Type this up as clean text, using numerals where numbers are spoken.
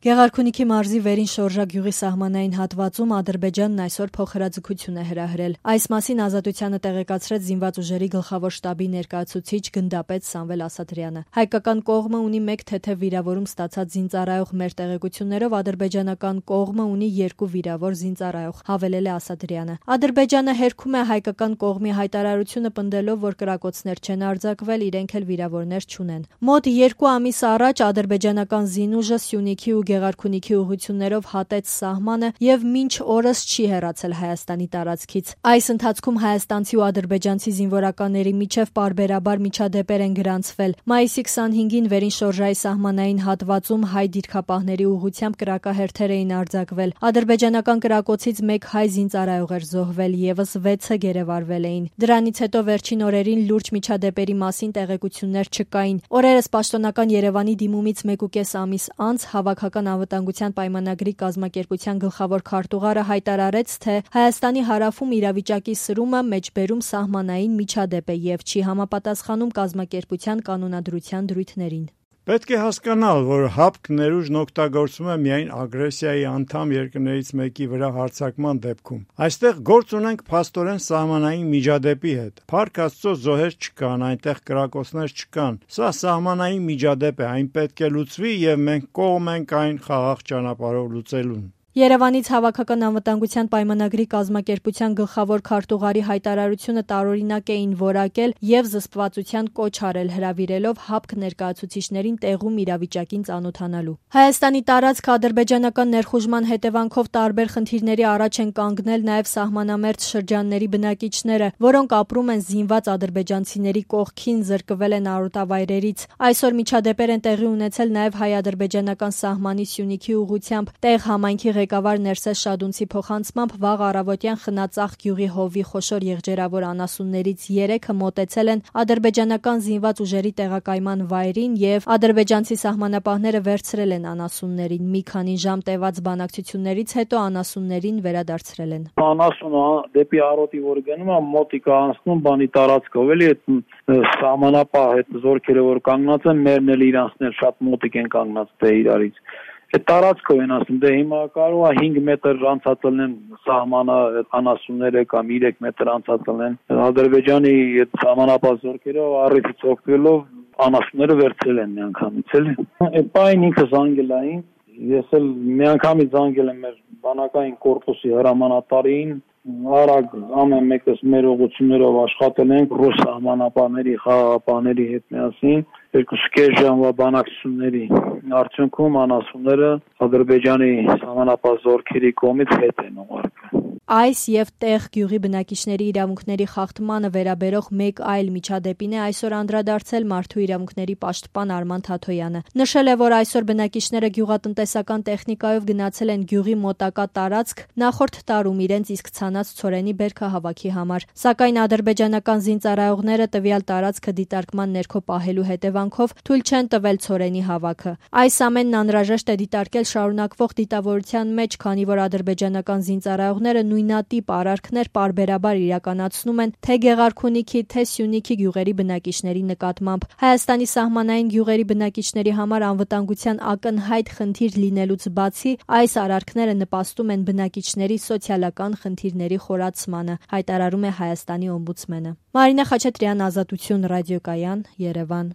Գեղարքունիքի մարզի վերին շորժա գյուղի սահմանային հատվածում Ադրբեջանն այսօր փոխհրաձգություն է հրահրել։ Այս մասին Ազատությանը տեղեկացրեց զինված ուժերի գլխավոր շտաբի ներկայացուցիչ գնդապետ Սամվել Ասատրյանը։ Հայկական կողմը ունի 1 թեթև վիրավորում ստացած զինծառայող, մեր տեղեկություններով ադրբեջանական կողմը ունի 2 վիրավոր զինծառայող, հավելել է Ասատրյանը։ Ադրբեջանը հերքում է հայկական կողմի հայտարարությունը, պնդելով, որ կրակոցներ չեն արձակվել, իրենք էլ վիրավորներ չունեն։ Մոտ 2 ամիս առաջ ադրբեջանական զինուժը Սյունիքի ու Գեղարքունիքի ուղղություններով հատեց սահմանը եւ մինչ օրս չի հեռացել Հայաստանի տարածքից։ Այս ընթացքում հայաստանցի ու ադրբեջանցի զինվորականների միջև պարբերաբար միջադեպեր են գրանցվել։ Մայիսի 25-ին վերին շորժայի սահմանային հատվածում հայ դիրքապահների ուղղությամբ կրակահերթեր էին արձակվել։ Ադրբեջանական կրակոցից 1 հայ զինծառայող էր զոհվել, եւս 6-ը գերեվարվել էին։ Դրանից հետո վերջին օրերին լուրջ միջադեպերի մասին տեղեկություններ չկային։ Օրերս պաշտոնական Երևանի դիմումից 1.5 ամիս անց Հավաքական անվտանգության պայմանագրի կազմակերպության գլխավոր քարտուղարը հայտարարեց, թե Հայաստանի հարավում իրավիճակի սրումը մեջբերում սահմանային միջադեպ է եւ չի համապատասխանում կազմակերպության կանոնադրության դրույթներին։ Պետք է հասկանալ, որ ՀԱՊԿ ներուժն օգտագործվում է միայն ագրեսիայի անդամ երկրներից մեկի վրա հարձակման դեպքում։ Այստեղ գործ ունենք փաստորեն սահմանային միջադեպի հետ։ Փառք Աստծո, զոհեր չկան, այնտեղ կրակոցներ չկան։ Սա սահմանային միջադեպ է, այն պետք է լուծվի եւ մենք կողմ ենք այն խաղաղ ճանապարհով լուծելուն։ Երևանից Հավաքական անվտանգության պայմանագրի կազմակերպության գլխավոր քարտուղարի հայտարարությունը տարօրինակ էին որակել եւ զսպվածության կոչ արել, հրավիրելով ՀԱՊԿ ներկայացուցիչներին տեղում իրավիճակին ծանոթանալու։ Հայաստանի տարածքը ադրբեջանական ներխուժման հետևանքով տարբեր խնդիրների առաջ են կանգնել նաեւ սահմանամերձ շրջանների բնակիչները, որոնք ապրում են զինված ադրբեջանցիների կողքին, զրկվել են արոտավայրերից։ Այսօր միջադեպեր են տեղի ունեցել նաեւ հայ-ադրբեջանական սահմանի Սյունիքի ուղղությամբ։ Տեղ համայնքի ղեկավար Ներսես Շադունցի փոխանցմամբ վաղ առավոտյան Խնածախ գյուղի հովի խոշոր եղջերավոր անասուններից 3-ը մոտեցել են ադրբեջանական զինված ուժերի տեղակայման վայրին եւ ադրբեջանցի սահմանապահները վերցրել են անասուններին։ Մի քանի ժամ տևած բանակցություններից հետո անասուններին վերադարձրել են։ Անասունը դեպի արոտի որ գնում է, մոտիկ անցնում բանի տարածքով, էլի այդ սահմանապահ այդ զորքերը որ կանգնած են, մերն էլ իրանցն էլ շատ մոտիկ են կանգնած դե իրարից։ Այդ տարածքով են ասում, դե հիմա կարող է 5 մետր անցածելն սահմանը անասունները կամ 3 մետր անցածելն։ Ադրբեջանի այդ սահմանապահ զորքերը առիթից օգտվելով անասունները վերցրել են միանգամից, էլի։ Այդ պայն ինքը զանգելային, ես էլ միանգամից զանգել եմ մեր բանակային կորպուսի հրամանատարին, արագ ամեն մեկս մեր ուղղություններով աշխատել ենք ռուս սահմանապահների, խաղաղապահների հետ միասին 2.5 ժամվա բանակցությունների արդյունքում անասունները Ադրբեջանի սահմանապահ զորքերի կողմից հետ են ուղարկվել։ Այս եւ տեղ գյուղի բնակիչների իրավունքների խախտմանը վերաբերող մեկ այլ միջադեպին է այսօր անդրադարձել մարդու իրավունքների պաշտպան Արման Թաթոյանը։ Նշել է, որ այսօր բնակիչները գյուղատնտեսական տեխնիկայով գնացել են գյուղի մոտակա տարածք նախորդ տարում իրենց իսկ ցանած ցորենի բերքահավաքի համար, սակայն ադրբեջանական զինծառայողները տվյալ տարածքը դիտարկման ներքո պահելու հետևանքով թույլ չեն տվել ցորենի հավաքը։ Այս ամենն անհրաժեշտ է դիտարկել շարունակվող դիտավորության մեջ, քանի որ ադրբեջանական զինծառայողները նույնատիպ արարքներ պարբերաբար իրականացնում են թե Գեղարքունիքի, թե Սյունիքի գյուղերի բնակիչների նկատմամբ։ Հայաստանի սահմանային գյուղերի բնակիչների համար անվտանգության ակնհայտ խնդիր լինելուց բացի, այս արարքները նպաստում են բնակիչների սոցիալական խնդիրների խորացմանը, հայտարարում է Հայաստանի օմբուդսմենը։ Մարինա Խաչատրյան, Ազատություն ռադիոկայան, Երևան։